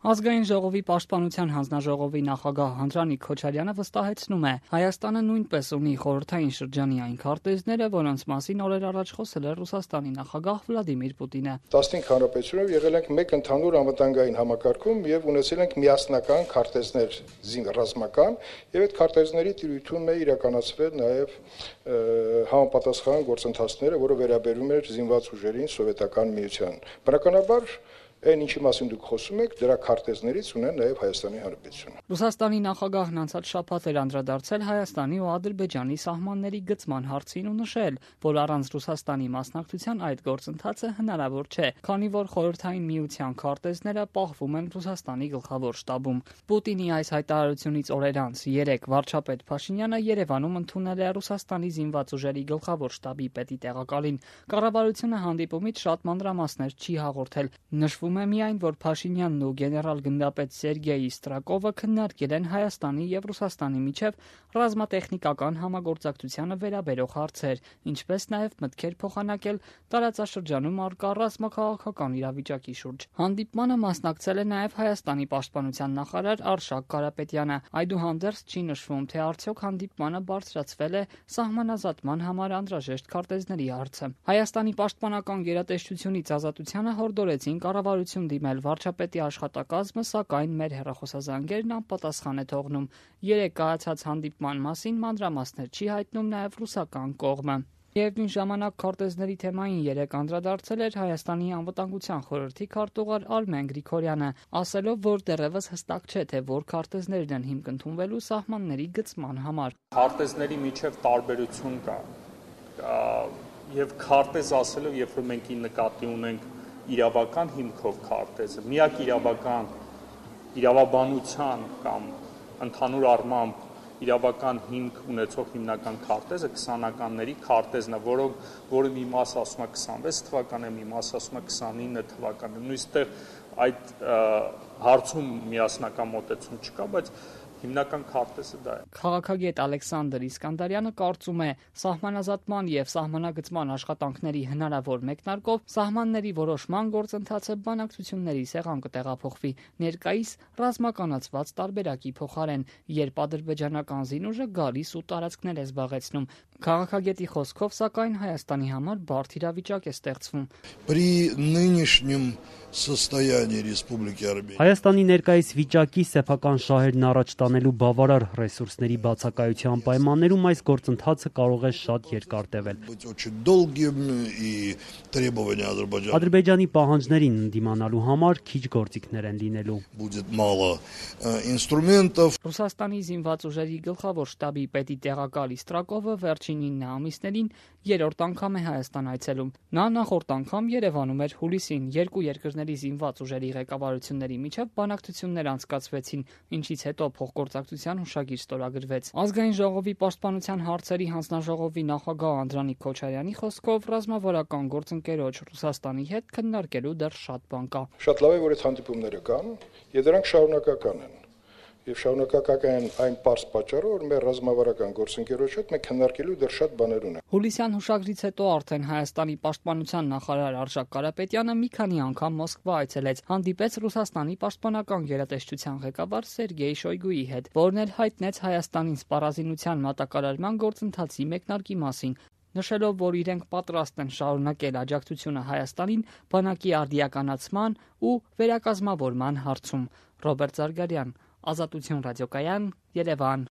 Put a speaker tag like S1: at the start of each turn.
S1: Ազգային ժողովի պաշտպանության հանձնաժողովի նախագահ Անդրանիկ Քոչարյանը վստահեցնում է, Հայաստանը նույնպես ունի խորհրդային շրջանի այն քարտեզները, որոնց մասին օրեր առաջ խոսել է Ռուսաստանի նախագահ Վլադիմիր Պուտինը։
S2: 15 հանրապետությունով եղել ենք մեկ ընդհանուր անվտանգային համակարգում եւ ունեցել ենք միասնական քարտեզներ ռազմական եւ այդ քարտեզների տիրույթում է իրականացվել նաեւ համապատասխան գործընթացները, որը վերաբերում էր զինված ուժերին սովետական միության։ Բնականաբար այն ինչի մասին դուք խոսում եք, դրա քարտեզներից ունեն նաև Հայաստանի Հանրապետությունը։
S1: Ռուսաստանի նախագահն անցած շաբաթ էր անդրադարձել Հայաստանի ու Ադրբեջանի սահմանների գծման հարցին ու նշել, որ առանց Ռուսաստանի մասնակցության այդ գործընթացը հնարավոր չէ, քանի որ խորհրդային միության քարտեզները պահվում են Ռուսաստանի գլխավոր շտաբում։ Պուտինի այս հայտարարությունից օրեր անց վարչապետ Փաշինյանը Երևանում ընդունել է Ռուսաստանի զինված ուժերի գլխավոր շտաբի պետի տեղակալին։ Կառավարությունը հանդիպումից շատ մանրամասներ չի հաղորդել։ Նշվում է միայն, որ Փաշինյանն ու գեներալ-գնդապետ Սերգեյ Իստրակովը քննարկել են Հայաստանի եւ Ռուսաստանի միջև ռազմատեխնիկական համագործակցությանը վերաբերող հարցեր, ինչպես նաեւ մտքեր փոխանակել տարածաշրջանում առկա ռազմաքաղաքական իրավիճակի շուրջ։ Հանդիպմանը մասնակցել է նաեւ Հայաստանի պաշտպանության նախարար Արշակ Կարապետյանը։ Այդուհանդերձ չի նշվում, թե արդյոք հանդիպմանը բարձրացվել է սահմանազատման համար անհրաժեշտ քարտեզների հարցը։ Հայաստանի պաշտպանական գերատեսչությունից Ազատությանը հորդորեցին կառավարություն դիմել վարչապետի աշխատակազմը, սակայն մեր հեռախոսազանգերն անպատասխան է թողնում։ Երեկ կայացած հանդիպման մասին մանրամասներ չի հայտնում նաև ռուսական կողմը։ Միևնույն ժամանակ քարտեզների թեմային երեկ անդրադարձել էր Հայաստանի անվտանգության խորհրդի քարտուղար Արմեն Գրիգորյանը, ասելով, որ դեռևս հստակ չէ, թե որ քարտեզներն են հիմք ընդունվելու սահմանների գծման համար։
S3: Քարտեզների միջև տարբերություն կա, եւ քարտեզ ասելով, երբ որ մենք նկատի ունենք իրավական հիմքով քարտեզը, միակ իրավաբանության կամ ընդհանուր առմամբ իրավական հիմք ունեցող հիմնական քարտեզը 20-ականների քարտեզն է, որը մի մասը ասում է 26 թվականը, մի մասը ասում է 29 թվականը։ Նույնիսկ այդ հարցում միասնական մոտեցում չկա, բայց հիմնական քարտեզը դա է։
S1: Քաղաքագետ Ալեքսանդր Իսկանդարյանը կարծում է, սահմանազատման եւ սահմանագծման աշխատանքների հնարավոր մեկնարկով սահմանների որոշման գործընթացը բանակցությունների սեղան կտեղափոխվի ներկայիս ռազմականացված տարբերակի փոխարեն, երբ ադրբեջանական զինուժը գալիս ու տարածքներ է զբաղեցնում։ Քաղաքագետի խոսքով, սակայն Հայաստանի համար բարդ իրավիճակ է ստեղծվում։
S4: При нынешнем состоянии Республики Армения
S5: Հայաստանի ներկայիս վիճակի սեփական շահերն առաջ տանելու բավարար ռեսուրսների բացակայության պայմաններում այս գործընթացը կարող է շատ երկար տևել։ Ադրբեջանի պահանջներին ընդդիմանալու համար քիչ գործիքներ են լինելու։
S1: Ռուսաստանի զինված ուժերի գլխավոր շտաբի պետի տեղակալ Իստրակովը վերջին 9 ամիսներին երրորդ անգամ է Հայաստան այցելում։ Նա նախորդ անգամ Երևանում էր հուլիսին, երկու երկրների զինված ուժերի ղեկավարությունների միջև բանակցություններ անցկացվեցին, ինչից հետո փոխգործակցության հուշագիր ստորագրվեց։ Ազգային ժողովի պաշտպանության հարցերի հանձնաժողովի նախագահ Անդրանիկ Քոչարյանի խոսքով ռազմավարական գործընկերոջ Ռուսաստանի հետ քննարկելու դեռ շատ բան կա։
S2: Շատ լավ է, որ այդ հանդիպումները կան, եւ դրանք շարունակական են։ Եվ շարունակական են այն պարզ պատճառով, որ մեր ռազմավարական գործընկերոջ հետ մենք քննարկելու դեռ շատ բաներ ունենք։
S1: Հուլիսյան հուշագրից հետո արդեն Հայաստանի պաշտպանության նախարար Արշակ Կարապետյանը մի քանի անգամ Մոսկվա այցելեց, հանդիպեց Ռուսաստանի պաշտպանական գերատեսչության ղեկավար Սերգեյ Շոյգուի հետ, որն էլ հայտնեց Հայաստանին սպառազինության մատակարարման գործընթացի մեկնարկի մասին, նշելով, որ իրենք պատրաստ են շարունակել աջակցությունը Հայաստանին բանակի արդիականացման ու վերակազմավորման հարցում։ Ռոբերտ Զարգարյան, Ազատություն ռադիոկայան, Երևան։